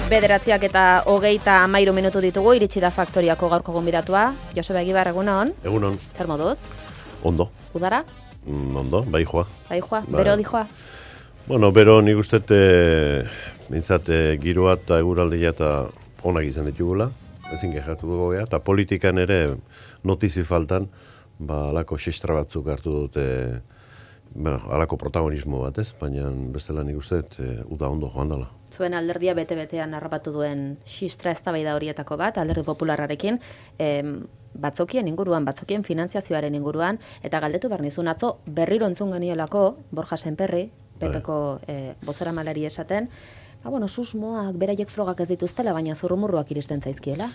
9:23 minutu ditugu, iritsi da Faktoriako gaurko gonbidatua. Joseba Egibar, egunon. Egunon. Zer moduz? Ondo. Udara? Ondo, bai joa. Bai joa, bero di joa? Bueno, bero nik uste mintzat giroa eta eguraldia eta onak izan ditugula, ezin kexatu dugu gea, eta politikan ere notizi faltan, alako xistra batzuk hartu dute, alako protagonismo bat ez, baina bestela nik uste uda ondo joan dela. Zuen alderdia bete-betean harrapatu duen xistra eztabaida horietako bat, alderdi popularrarekin, batzokien inguruan, batzokien finanziazioaren inguruan, eta galdetu behar nizun atzo berriro entzun geniolako, Borja Senperri, PP-ko bozeramalari esaten, susmoak, beraiek frogak ez dituztela, baina zurrumurruak iristen zaizkiela.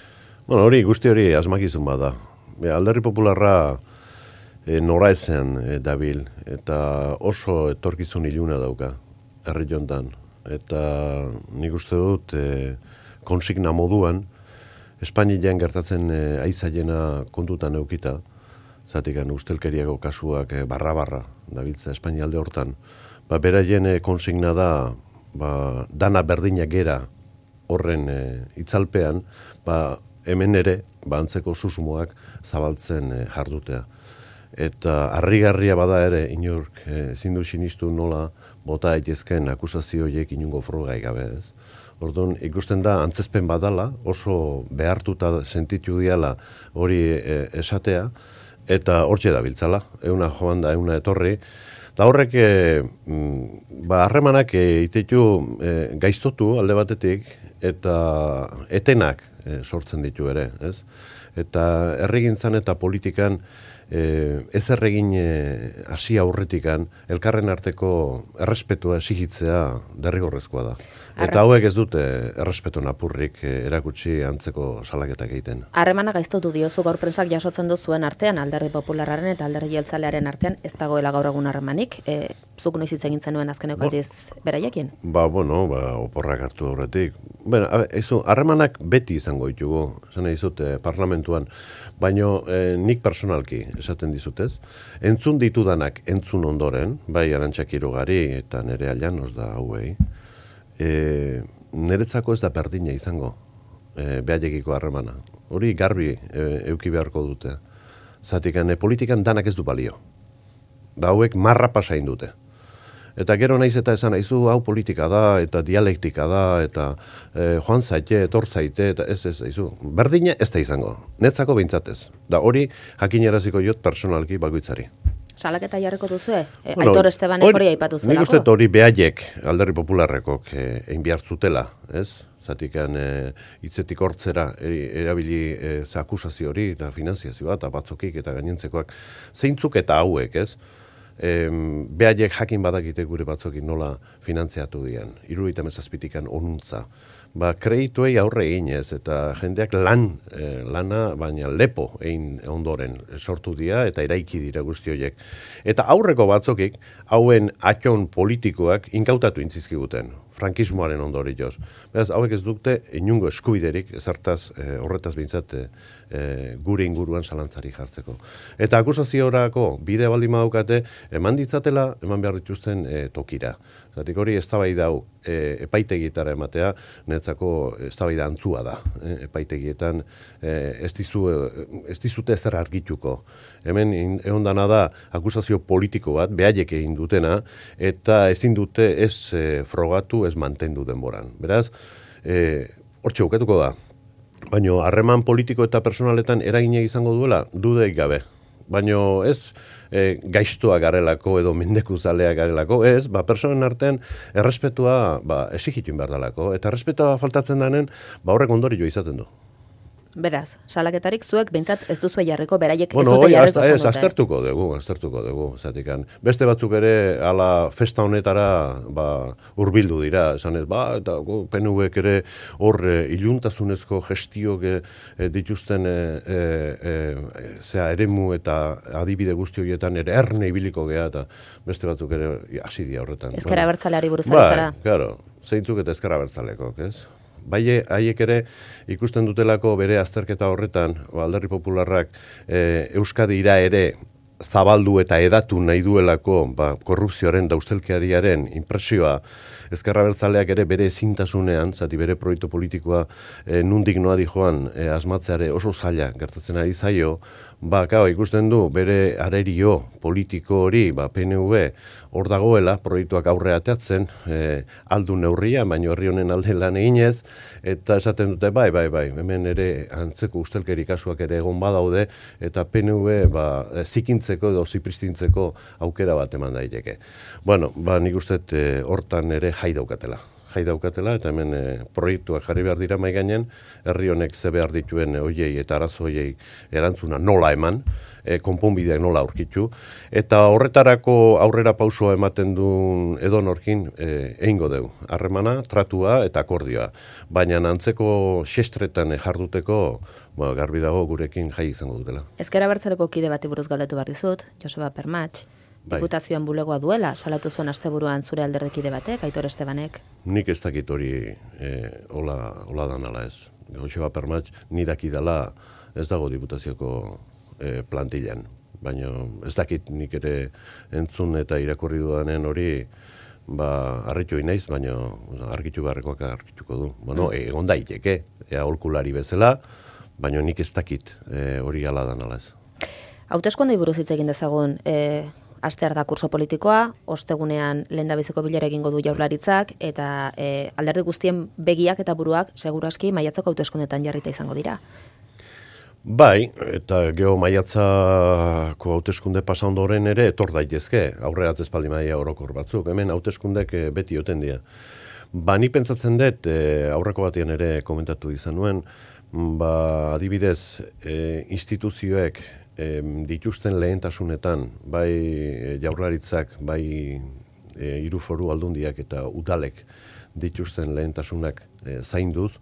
Bueno, guzti hori asmakizun bada. Alderdi popularra nora ezean dabil, eta oso etorkizun iluna dauka, herri jontan. Eta nik uste dut konsigna moduan, Espainian gertatzen aizaiena kontutan eukita, zatikan ustelkeriako kasuak barra-barra dabiltza Espainialde hortan, beraien konsigna da, dana berdinak gera horren itzalpean, hemen ere, antzeko susmoak zabaltzen jardutea. Eta harrigarria bada ere, inork zindu sinistu nola bota aitezken akusazioiek inungo frogai gabe ez. Orduan, ikusten da, antzezpen badala, oso behartuta sentitu diala hori esatea, eta hortxe da biltzala, euna joan da, euna etorri. Eta horrek, harremanak itetu gaiztotu alde batetik, eta etenak sortzen ditu ere, ez? Eta herrigintzan eta politikan ez erregin hasi aurretikan elkarren arteko errespetua exigitzea derrigorrezkoa da. Eta hauek ez dute errespetu napurrik erakutsi antzeko salaketak egiten. Harremana gaiztotu diozu gaur prensak jasotzen duzuen artean, alderdi popularraren eta alderdi jeltzalearen artean, ez dagoela gaur egun harremanik. Zuk noiz hitz egin zenuen azkeneko aldiz beraiekin? Oporrak hartu aurretik. Harremanak beti izango ditugu, zena dizute parlamentuan, baino nik personalki esaten dizutez, entzun ditudanak entzun ondoren, bai Arantxa Kirugari eta Nerea Llanos da hauei, niretzako ez da berdina izango behaiekiko harremana. Hori garbi euki beharko dute. Zatikan politikan danak ez du balio. Da hauek marra pasain dute. Eta gero naiz eta esan aizu hau politika da, eta dialektika da, eta joan zaite, etor zaite, eta ez, aizu. Berdina ez da izango. Netzako behintzatez. Da hori jakinaraziko jot personalki bakoitzari. Salaketa jarriko duzue? Aitor Estebanek hori aipatu zuelako? Nik uste hori behaiek alderdi popularrekok egin behar zutela, ez? Zatikan hitzetik hortzera erabili akusazio hori eta finanziazioa eta batzokik eta gainentzekoak zeintzuk eta hauek, ez? Behaiek jakin badakite gure batzokin nola finantziatu dian. 77 onuntza. Kredituei aurre egin ez, eta jendeak lana, baina lepo egin ondoren sortu dira eta eraiki dira guzti horiek. Eta aurreko batzokik, hauen atxon politikoak inkautatu intzizkiguten, frankismoaren ondorioz. Beraz, hauek ez dute inungo eskubiderik, ezartaz horretaz behintzat gure inguruan zalantzari jartzeko. Eta akusaziorako bide baldin badaukate, eman ditzatela, eman behar dituzten tokira. Zatik hori eztabaida hau epaitegietara ematea, netzako eztabaida antzua da. Epaitegietan ez dizute ezer argituko. Hemen egon dana da akusazio politiko bat, behaiek egin dutena, eta ezin dute ez frogatu, ez mantendu denboran. Beraz, hortxe bukatuko da. Baina harreman politiko eta personaletan eragina izango duela, dudeik gabe. Baina ez gaiztoa garelako edo mendekuzalea garelako, ez, personen artean errespetua exigitu behar dalako, eta errespetua faltatzen denen, horrek ondorio izaten du. Beraz, salaketarik zuek behintzat ez duzue jarriko, beraiek ez dute jarriko zen dute. Aztertuko dugu, zatikan. Beste batzuk ere, ala festa honetara hurbildu dira, esan ez, eta PNVek ere hor iluntasunezko gestiok dituzten eremu eta adibide guzti horietan ere erne ibiliko gea, eta beste batzuk ere hasi dira horretan. Ezker abertzaleari buruz ari zara? Claro, zeintzuk eta ezker abertzalekok, ez? Haiek ere ikusten dutelako bere azterketa horretan, alderdi popularrak Euskadira ere zabaldu eta edatu nahi duelako korrupzioaren da ustelkeriaren impresioa Ezker Abertzaleak ere bere ezintasunean, zati bere proiektu politikoa nundik noa joan asmatzeare oso zaila gertatzen ari zaio, ikusten du bere arerio politiko hori, PNV hor dagoela, proiektuak aurre ateatzen, aldu neurria, baina herri honen alde lan eginez, eta esaten dute, bai, hemen ere antzeko ustelkeri kasuak ere egon badaude, eta PNV zikintzeko edo zipristintzeko aukera bat eman daiteke. Bueno, nik uste hortan ere jai daukatela, eta hemen proiektuak jarri behar dira maigainen, herri honek ze behar dituen hoiei eta arazo hoiei erantzuna nola eman, konponbideak nola aurkitu, eta horretarako aurrera pausoa ematen duen edonorkin egingo dugu. Harremana, tratua eta akordioa. Baina antzeko xestretan jarduteko, garbi dago gurekin jai izango dutela. Ezker Abertzaleko kide bati buruz galdetu behar dizut, Joseba Permatx, diputazioan bulegoa duela, salatu zuen asteburuan zure alderdekide batek, Aitor Estebanek? Nik ez dakit hori hola danala ez. Joseba Permatx ni dakidala ez dago diputazioko plantillan. Baina ez dakit nik ere entzun eta irakurri dudanen hori harritu inaiz, baina argitu beharrekoak argituko du. Bueno, egon daiteke, aholkulari bezala, baina nik ez dakit hori hala danala ez. Hauteskondei buruz hitz egin dezagun, astear da kurso politikoa, ostegunean lehendabiziko bilera egingo du Jaurlaritzak, eta alderdi guztien begiak eta buruak seguraski maiatzako hauteskundetan jarrita izango dira. Bai, eta geho maiatzako hauteskunde pasa ondoren ere etor daitezke, aurrera atzespaldi maila orokor batzuk, hemen hauteskundek beti oten dira. Ni pentsatzen dut, aurreko batean ere komentatu izan nuen, adibidez, instituzioek dituzten lehentasunetan, bai Jaurlaritzak, bai hiru foru aldundiak eta udalek dituzten lehentasunak zainduz,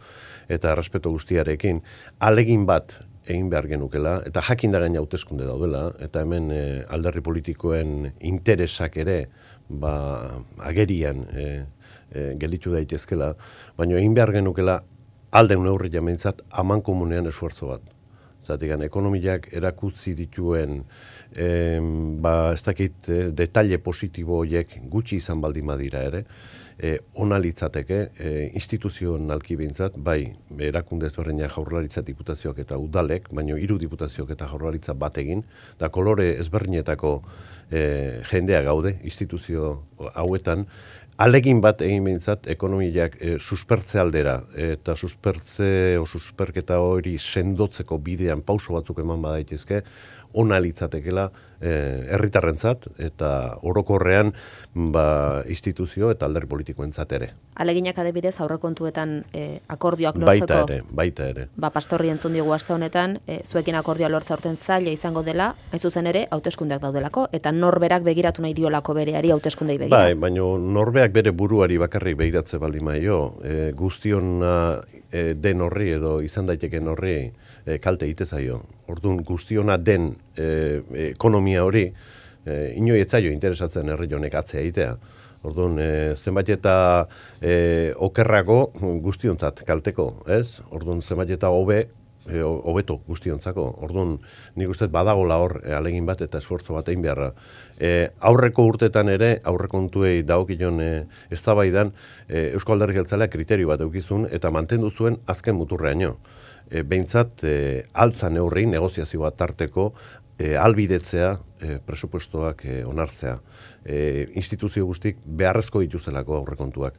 eta errespetu guztiarekin, alegin bat egin behar genukela, eta jakin da gaina hauteskunde daudela, eta hemen alderdi politikoen interesak ere agerian gelditu daitezkela, baina egin behar genukela alden neurri jameintzat aman komunean esfuerzo bat. Zategan, ekonomiak erakutzi dituen ez dakit detalle positibo horiek gutxi izan baldin badira ere, ona litzateke instituzionalki behintzat, bai erakunde ezberdinak Jaurlaritza diputazioak eta udalek, baina 3 diputazioak eta Jaurlaritza bategin, da kolore ezberdinetako jendea gaude instituzio hauetan, alegin bat egin behintzat ekonomiak suspertze aldera eta susperketa hori sendotzeko bidean pauso batzuk eman badaitezke, ona litzatekela herritarrentzat eta orokorrean instituzio eta alderdi politikoentzat ere. Aleginak adibidez aurrekontuetan akordioak lortzeko. Baita ere. Pastorri entzun digu aste honetan, zuekin akordioa lortza urten zaila izango dela, hain zuzen ere hauteskundeak daudelako, eta norberak begiratu nahi diolako bereari hauteskundei begira. Bai, baina norbeak bere buruari bakarrik begiratze baldin maio, guztiona den horri edo izan daiteken horri kalte egite zaio. Orduan guztiona den ekonomia hori, inoi ez zaio interesatzen herri honek atzea egitea. Orduan, zenbait eta okerrago guztiontzat kalteko, ez? Orduan, zenbait eta hobeto guztiontzako. Orduan, nik uste badagola hor alegin bat eta esfortzo bat egin beharra. Aurreko urtetan ere, aurrekontuei dagokion eztabaidan, Eusko Alderdi Jeltzaleak kriterio bat eukizun eta mantendu zuen azken muturreaino. Behintzat, altza neurri, negoziazio bat tarteko, albidetzea, presupuestoak onartzea. Instituzio guztik beharrezko dituztelako aurrekontuak.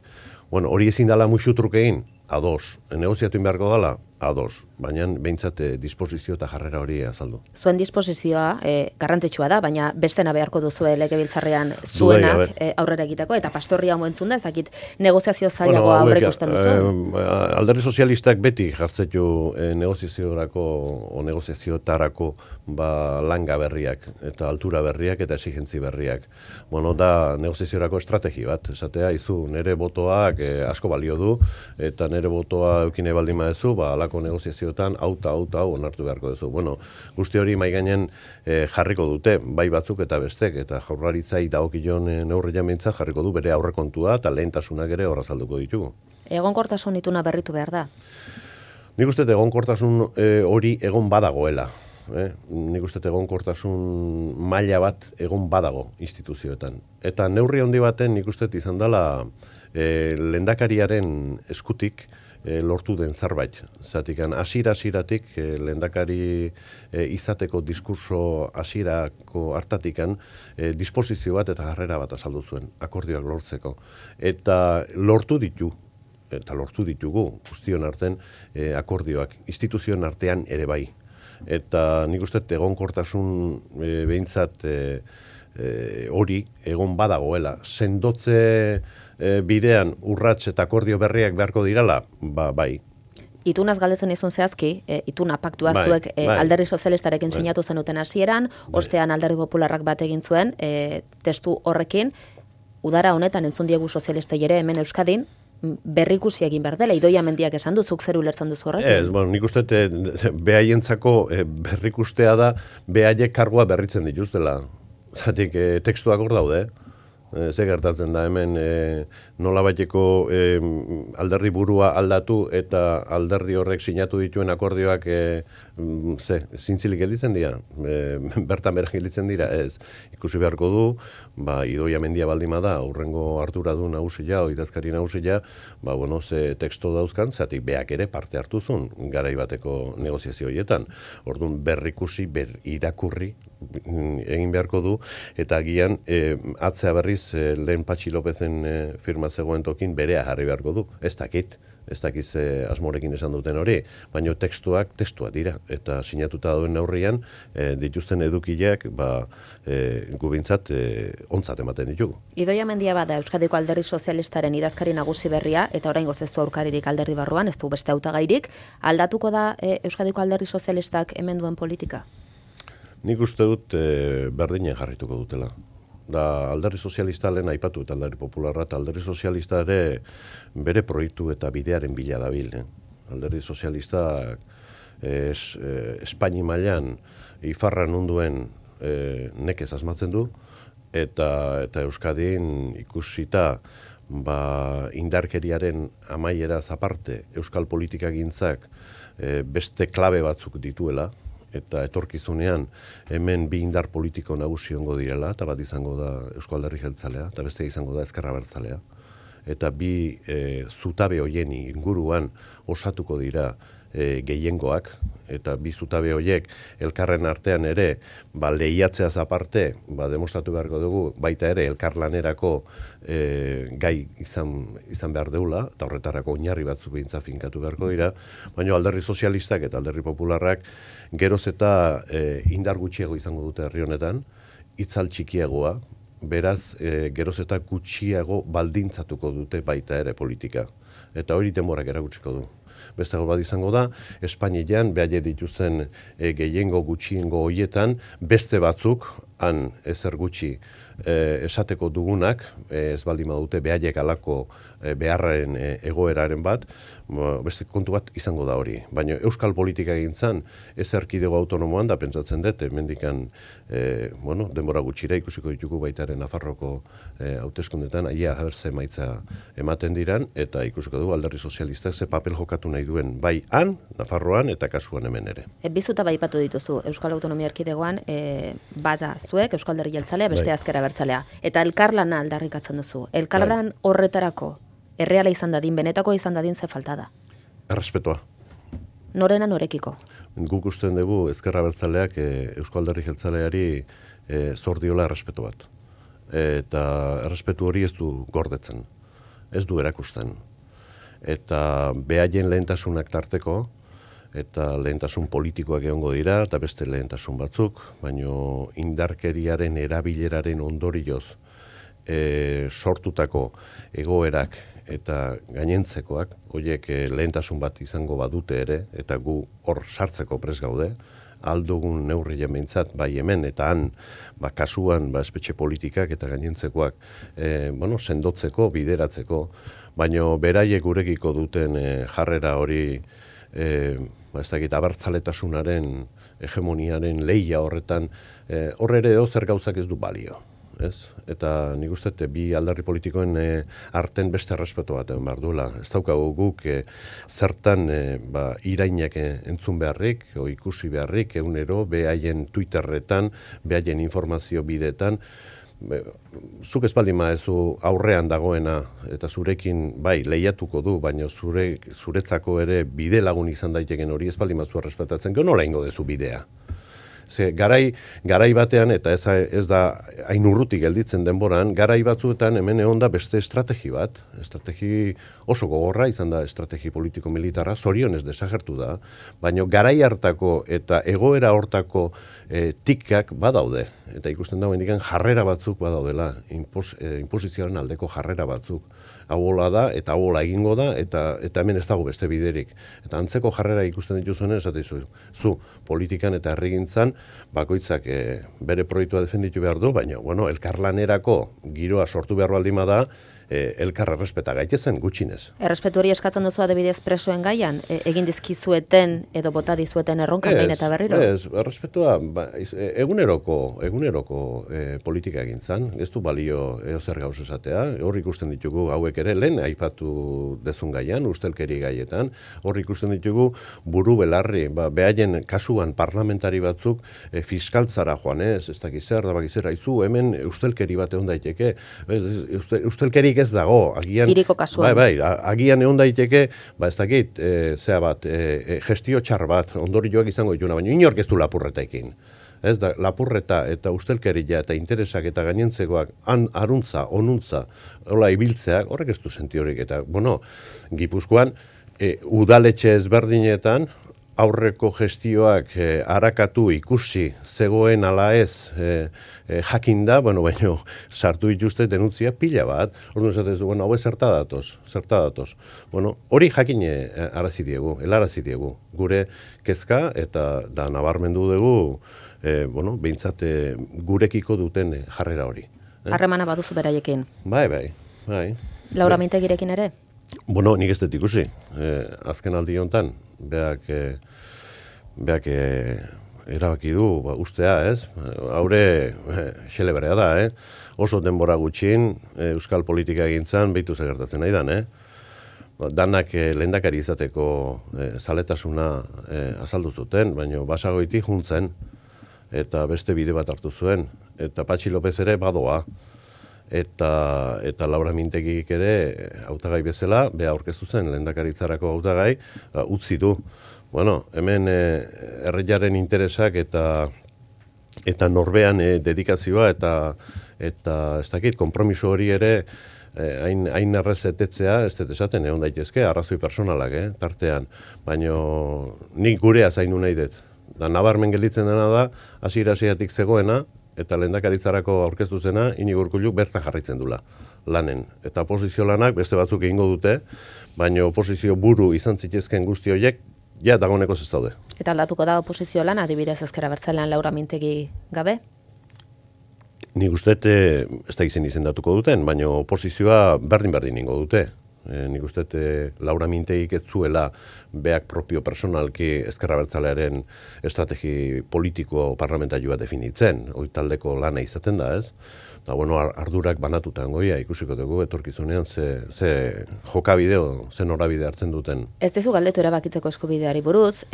Bueno, hori ezin dela muxutruk egin, ados. Negoziatu beharko dela, ados. Baina behintzat disposizio eta jarrera hori azaldu. Zuen disposizioa garrantzitsua da, baina bestena beharko duzue legebiltzarrean zuenak aurrera egiteko, eta pastorria hau entzun da, ez dakit negoziazio zailagoa aurre ikusten duzu? Alderdi sozialistak beti jartzetu negoziaziorako o negoziaziotarako langa berriak, eta altura berriak, eta exigentzi berriak. Bueno, da negoziaziorako estrategi bat, esatea, izu, nere botoak asko balio du, eta nere botoa eukine baldin maezu, alako negoziazioetan, hau onartu beharko duzu. Bueno, guzti hori maigainen jarriko dute, bai batzuk eta bestek, eta Jaurlaritzai dagokion neurri jameintzat jarriko du bere aurrekontua eta lehentasunak ere horrazalduko ditugu. Egonkortasun ituna berritu behar da? Nik uste egonkortasun hori egon badagoela. nik uste egonkortasun maila bat egon badago instituzioetan. Eta neurri handi baten nik uste izan dela lehendakariaren eskutik lortu den zerbait. Zatikan hasieratik lehendakari izateko diskurso hasierako hartatikan disposizio bat eta jarrera bat azaldu zuen akordioak lortzeko. Eta lortu ditugu guztion artean akordioak instituzioen artean ere bai. Eta nik uste egonkortasun behintzat hori egon badagoela. Sendotze bidean urrats eta akordio berriak beharko dirala, bai. Itunaz galdetzen izun zehazki, ituna paktua zuek Alderdi Sozialistarekin sinatu zenuten hasieran, ostean Alderdi Popularrak bat egin zuen, testu horrekin, udara honetan entzun diegu sozialistei ere hemen Euskadin, berrikusi egin behar dela, Idoia Mendiak esan du, zuk zer ulertzen duzu horrekin? Nik uste behaientzako berrikustea da, behaiek kargua berritzen dituztela. Zatik, tekstuak hor daude, ze gertatzen da hemen nolabaiteko alderdi burua aldatu eta alderdi horrek sinatu dituen akordioak zintzilik gelditzen dira, bertan bera gelditzen dira, ez. Ikusi beharko du, Idoia Mendia baldima da, aurrengo hartura du nagusia, idazkari nagusia, ze teksto dauzkan, zatik beak ere parte hartu zuen garai bateko negoziazio horietan. Orduan berrikusi, irakurri egin beharko du, eta agian atzea berriz lehen Patxi Lopezen firma zegoen tokin berea jarri beharko du. Ez dakit asmorekin esan duten hori, baina testuak dira, eta sinatuta duen neurrian dituzten edukileak gubintzat ontzat ematen ditugu. Idoia Mendia bada Euskadiko Alderdi Sozialistaren idazkari nagusi berria, eta oraingo ez du aurkaririk alderdi barruan, ez du beste hautagairik, aldatuko da Euskadiko Alderdi Sozialistak hemen duen politika? Nik uste dut berdinen jarrituko dutela. Da Alderdi Sozialista lehen aipatu eta Alderdi Popularra, eta Alderdi Sozialista ere bere proiektu eta bidearen bila dabil. Alderdi Sozialista Espaini mailan ifarra nunduen nekez asmatzen du, eta Euskadin ikusita indarkeriaren amaieraz aparte Euskal politikagintzak beste klabe batzuk dituela, eta etorkizunean hemen bi indar politiko nagusi ongo direla, eta bat izango da Eusko Alderdi Jeltzalea, eta beste izango da Ezker Abertzalea. Eta bi zutabe hoien inguruan osatuko dira gehiengoak, eta bi zutabe horiek elkarren artean ere lehiatzeaz aparte demostratu beharko dugu baita ere elkarlanerako gai izan behar deula, eta horretarako oinarri batzuk behintza finkatu beharko dira, baina Alderdi Sozialistak eta Alderdi Popularrak geroz eta indar gutxiago izango dute herri honetan, itzal txikiagoa, beraz geroz eta gutxiago baldintzatuko dute baita ere politika. Eta hori denborak erakutsiko du. Bestago bat izango da, Espainian behaile dituzten gehiengo gutxiengo hoietan, beste batzuk, han ezer gutxi esateko dugunak, ez baldin badute behaiek alako beharraren egoeraren bat, beste kontu bat izango da hori. Baina Euskal politika egintzan, ez erkidego autonomoan da pentsatzen dut, mendikan denbora gutxira ikusiko ditugu baitaren Nafarroko hauteskundetan, aia ze emaitza ematen diran, eta ikusiko dugu Alderdi Sozialistak ze papel jokatu nahi duen, bai han, Nafarroan eta kasuan hemen ere. Bizuta baipatu dituzu, Euskal Autonomia Erkidegoan, bata zuek, Euskal Alderdi Jeltzalea, beste Ezker Abertzalea. Eta elkarlana aldarrikatzen duzu. Elkarlan horretarako, erreala izan dadin, benetako izan dadin ze falta da? Errespetua. Norena norekiko? Guk usten dugu Ezker Abertzaleak Eusko Alderdi Jeltzaleari zor diola errespetu bat. Eta errespetu hori ez du gordetzen, ez du erakusten. Eta behaien lehentasunak tarteko, eta lehentasun politikoak egongo dira, eta beste lehentasun batzuk, baino indarkeriaren erabileraren ondorioz sortutako egoerak eta gainentzekoak, horiek lehentasun bat izango badute ere, eta gu hor sartzeko prest gaude, aldugun neurri behintzat, bai hemen, eta han, kasuan, espetxe politikak eta gainentzekoak, sendotzeko, bideratzeko, baino beraiek gurekiko duten jarrera hori, ez dakit, abertzaletasunaren hegemoniaren lehia horretan, horre ere zer gauzak ez du balio. ez? Eta nik uste bi alderdi politikoen arten beste errespetu bat egon behar duela. Ez daukagu guk zertan irainak entzun beharrik, o ikusi beharrik, egunero, behaien Twitterretan, behaien informazio bidetan, zuk espaldin maezu aurrean dagoena eta zurekin bai lehiatuko du, baina zuretzako ere bide lagun izan daiteken hori espaldin maezu errespetatzen, gero nola ingo dezu bidea. Ze garai batean, eta ez da hain urrutik gelditzen denboran, garai batzuetan hemen egon da beste estrategi bat, estrategi oso gogorra izan da estrategi politiko-militarra, zorionez desagertu da, baina garai hartako eta egoera hortako tikkak badaude, eta ikusten dago indikan jarrera batzuk badaudela, inposizioaren aldeko jarrera batzuk. Hauola da, eta hauola egingo da, eta hemen ez dago beste biderik. Eta antzeko jarrera ikusten dituzuenen, esateizu, zu politikan eta herrigintzan, bakoitzak bere proiektua defenditu behar du, baina, elkarlanerako giroa sortu behar baldima da, elkar errespeta gaitezen gutxinez. Errespetu hori eskatzen duzu adibidez presoen gaian, egin dizkizueten edo bota dizueten erronkan behin eta berriro? Ez, errespetua eguneroko politika egintzan, ez du balio eozer gauz esatea, hor ikusten ditugu hauek ere lehen aipatu dezun gaian, ustelkeri gaietan, hor ikusten ditugu buru belarri, behaien kasuan parlamentari batzuk fiskaltzara joan ez dakiz zer, da bakiz zer, aizu hemen ustelkeri bat egon daiteke, ustelkeri ez dago, agian... Iriko kasuan. Bai, agian egon daiteke, ez dakit, gestio txar bat, ondorioak izango dituna, baina inork ez du lapurretaekin. Ez da, lapurreta eta ustelkeria eta interesak eta gainentzekoak aruntza, onuntza, hola ibiltzeak, horrek ez du sentiorik. Eta, Gipuzkoan, udaletxe ezberdinetan, aurreko gestioak harakatu ikusi zegoen ala ez jakinda, baina sartu dituzte denuntzia pila bat, orduan esatezu, hau zerta datoz. Hori jakine arazi diegu, helarazi diegu, gure kezka eta da nabarmendu dugu, behintzat gurekiko duten jarrera hori. Harremana baduzu beraiekin? Bai. Laura Mintegirekin ere? Nik ez dut ikusi, azken aldi honetan, beak erabaki du ustea, ez? Haure xelebrea da, oso denbora gutxin euskal politika egintzan behitu zegertatzen nahi dan, danak lehendakari izateko zaletasuna azaldu zuten, baina Basagoiti juntzen eta beste bide bat hartu zuen, eta Patxi López ere badoa. Eta Laura Mintegik ere hautagai bezala, beha aurkeztu zen lehendakaritzarako hautagai, utzi du. Hemen herriaren interesak eta norbean dedikazioa eta ez dakit, konpromiso hori ere hain errezetetzea, ez dut esaten egon daitezke, arrazoi personalak, tartean. Baina nik gurea zaindu nahi dut. Da nabarmen gelditzen dena da, hasiera-hasieratik zegoena, eta lehendakaritzarako aurkeztu zena, Inigo Urkulluk bertan jarraitzen dula lanen. Eta oposizio lanak beste batzuk egingo dute, baina oposizio buru izan zitezken guzti horiek, dagoeneko ez daude. Eta aldatuko da oposizio lan, adibidez ezker abertzalean Laura Mintegi gabe? Nik uste, ez da izendatuko duten, baina oposizioa berdin ingo dute. Nik uste Laura Mintegik ez zuela beak propio personalki ezker abertzalearen estrategi politiko parlamentarioa definitzen, hori taldeko lana izaten da, ez? Da, ardurak banatutan goia ikusiko dugu etorkizunean ze jokabideo, ze norabide hartzen duten. Ez dizu galdetu erabakitzeko eskubideari buruz,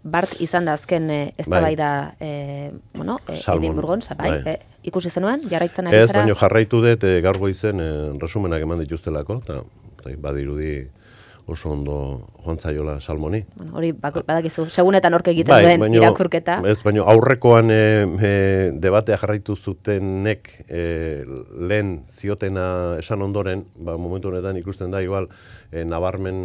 Bart izan da azken eztabaida Edinburgon, ikusi zenuen, jarraitzen ari zara? Ez, baina jarraitu dut gaur goizen resumenak eman dituztelako, eta badirudi oso ondo joan zaiola Salmoni. Hori badakizu, segunetan horke egiten duen irakurketa. Ez, baina aurrekoan debatea jarraitu zutenek lehen ziotena esan ondoren, momentu honetan ikusten da, igual, nabarmen,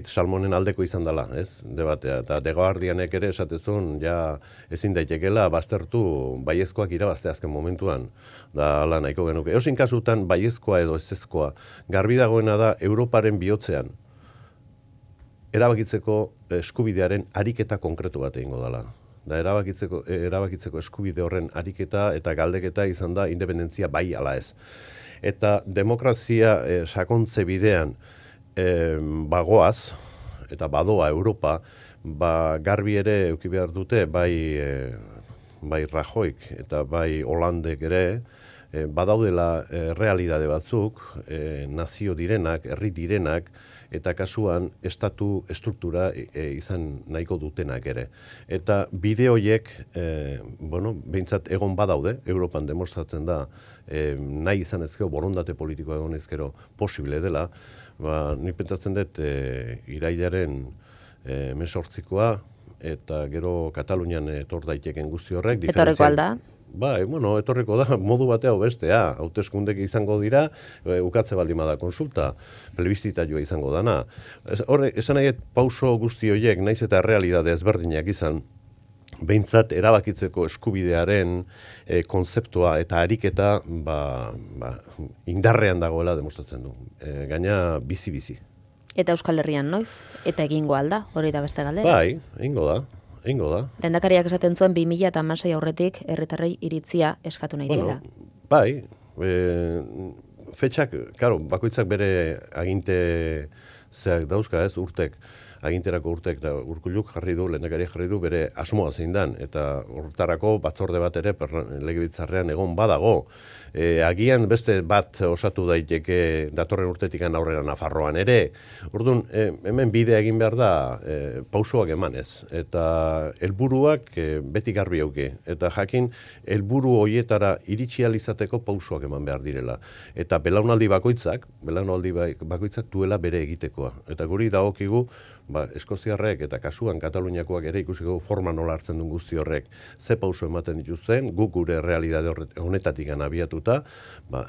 Salmonen aldeko izan dela, ez, debatea. Eta The Guardianek ere esatezun, ezin daitekela baztertu baiezkoak irabazte azken momentuan, da ala nahiko genuke. Eosin kasutan baiezkoa edo ezezkoa, garbi dagoena da Europaren bihotzean erabakitzeko eskubidearen ariketa konkretu bat egingo dela. Da erabakitzeko eskubide horren ariketa eta galdeketa izan da independentzia bai ala ez. Eta demokrazia sakontze bidean bagoaz, eta badoa Europa, garbi ere euki behar dute, bai bai Rajoyk eta bai Hollandek ere, badaudela realidade batzuk, nazio direnak, herri direnak, eta kasuan estatu estruktura izan nahiko dutenak ere. Eta bide horiek, behintzat egon badaude, Europan demostratzen da, nahi izan ezkero, borondate politikoa egon ezkero posible dela, nik pentsatzen dut irailaren 18koa, eta gero Katalunian etor daiteken guzti horrek. Etorreko alda? Bai, etorriko da, modu batea bestea, hauteskundek izango dira, ukatze baldin bada konsulta, plebiszitarioa izango dana. Esan nahi, pauso guzti horiek, naiz eta realidade ezberdinak izan, behintzat erabakitzeko eskubidearen konzeptua eta ariketa indarrean dagoela demostratzen du. Gaina bizi-bizi. Eta Euskal Herrian noiz? Eta egingo alda, hori da beste galdera? Bai, egingo da. Lehendakariak esaten zuen 2016 aurretik herritarrei iritzia eskatu nahi dela. Bai, fetxak, bakoitzak bere aginte zeak dauzka urtek, aginterako urtek da Urkulluk lehendakariak jarri du bere asmoa zein dan, eta hortarako batzorde bat ere legebiltzarrean egon badago. Agian beste bat osatu daiteke datorren urtetikan aurrera Nafarroan ere. Orduan, hemen bidea egin behar da pausoak emanez. Eta helburuak beti garbi auke. Eta jakin, helburu horietara iritsi izateko pausoak eman behar direla. Eta belaunaldi bakoitzak duela bere egitekoa. Eta guri dagokigu, Eskoziarrek eta kasuan Kataluniakoak ere ikusiko forma nola hartzen duen guzti horrek ze pauso ematen dituzten, guk gure realidade honetatik abiatuta,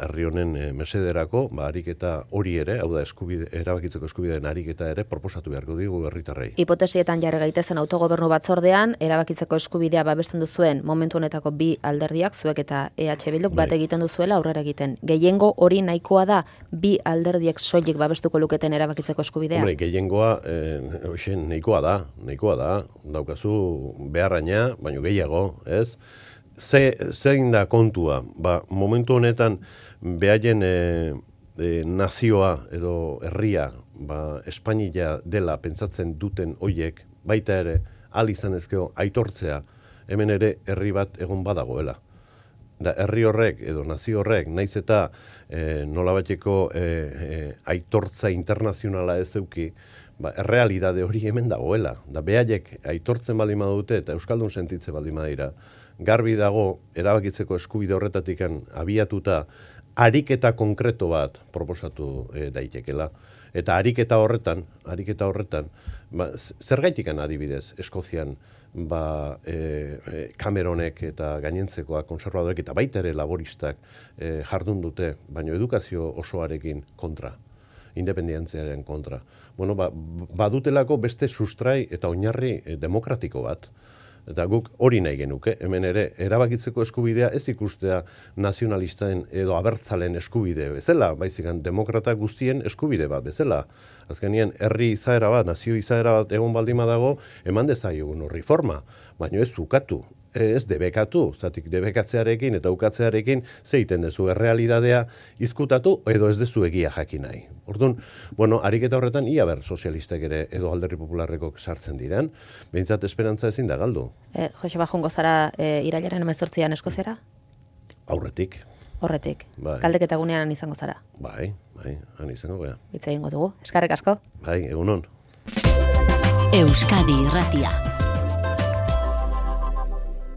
herri honen mesederako, ariketa hori ere, hau da erabakitzeko eskubideen ariketa ere proposatu beharko digu herritarrei. Hipotesietan jarri gaitezen autogobernu batzordean, erabakitzeko eskubidea babesten duzuen momentu honetako bi alderdiak, zuek eta EH Bilduk bat egiten duzuela aurrera egiten. Gehiengo hori nahikoa da bi alderdiek soilik babestuko luketen erabakitzeko eskubidea? Hombre, gehiengoa nahikoa da, daukazu beharraina, baino gehiago, ez? Zein da kontua? Momentu honetan behaien nazioa edo herria Espainia dela pentsatzen duten hoiek, baita ere, ahal izan ezkeo aitortzea, hemen ere herri bat egon badagoela. Da herri horrek edo nazio horrek, naiz eta nolabaiteko aitortza internazionala ez euki, errealidade hori hemen dagoela. Da behaiek aitortzen baldin badute eta euskaldun sentitze baldin badira, garbi dago erabakitzeko eskubide horretatik abiatuta ariketa konkreto bat proposatu daitekela. Eta ariketa horretan, zergaitikan adibidez Eskozian Cameronek eta gainentzekoak konservadorek eta baita ere laboristak jardun dute, baina edukazio osoarekin kontra, independentziaren kontra. Badutelako beste sustrai eta oinarri demokratiko bat. Eta guk hori nahi genuke, hemen ere erabakitzeko eskubidea ez ikustea nazionalisten edo abertzalen eskubide bezala, baizikan demokrata guztien eskubide bat bezala. Azkenien herri izaera bat, nazio izaera bat egon baldima dago, eman dezaiogun horri forma, baina ez ukatu, ez debekatu, zatik debekatzearekin eta ukatzearekin zeiten dezu errealidadea izkutatu edo ez dezu egia jakin nahi. Orduan, ariketa horretan ia ber sozialistek ere edo Alderdi Popularrekok sartzen diren, behintzat esperantza ezin da galdu. Joseba, joango zara irailaren 18an Eskoziara? Aurretik. Horretik. Galdeketa gunean izango zara? Bai, han izango gara. Hitz egingo dugu. Eskerrik asko. Bai, egunon. Euskadi Irratia.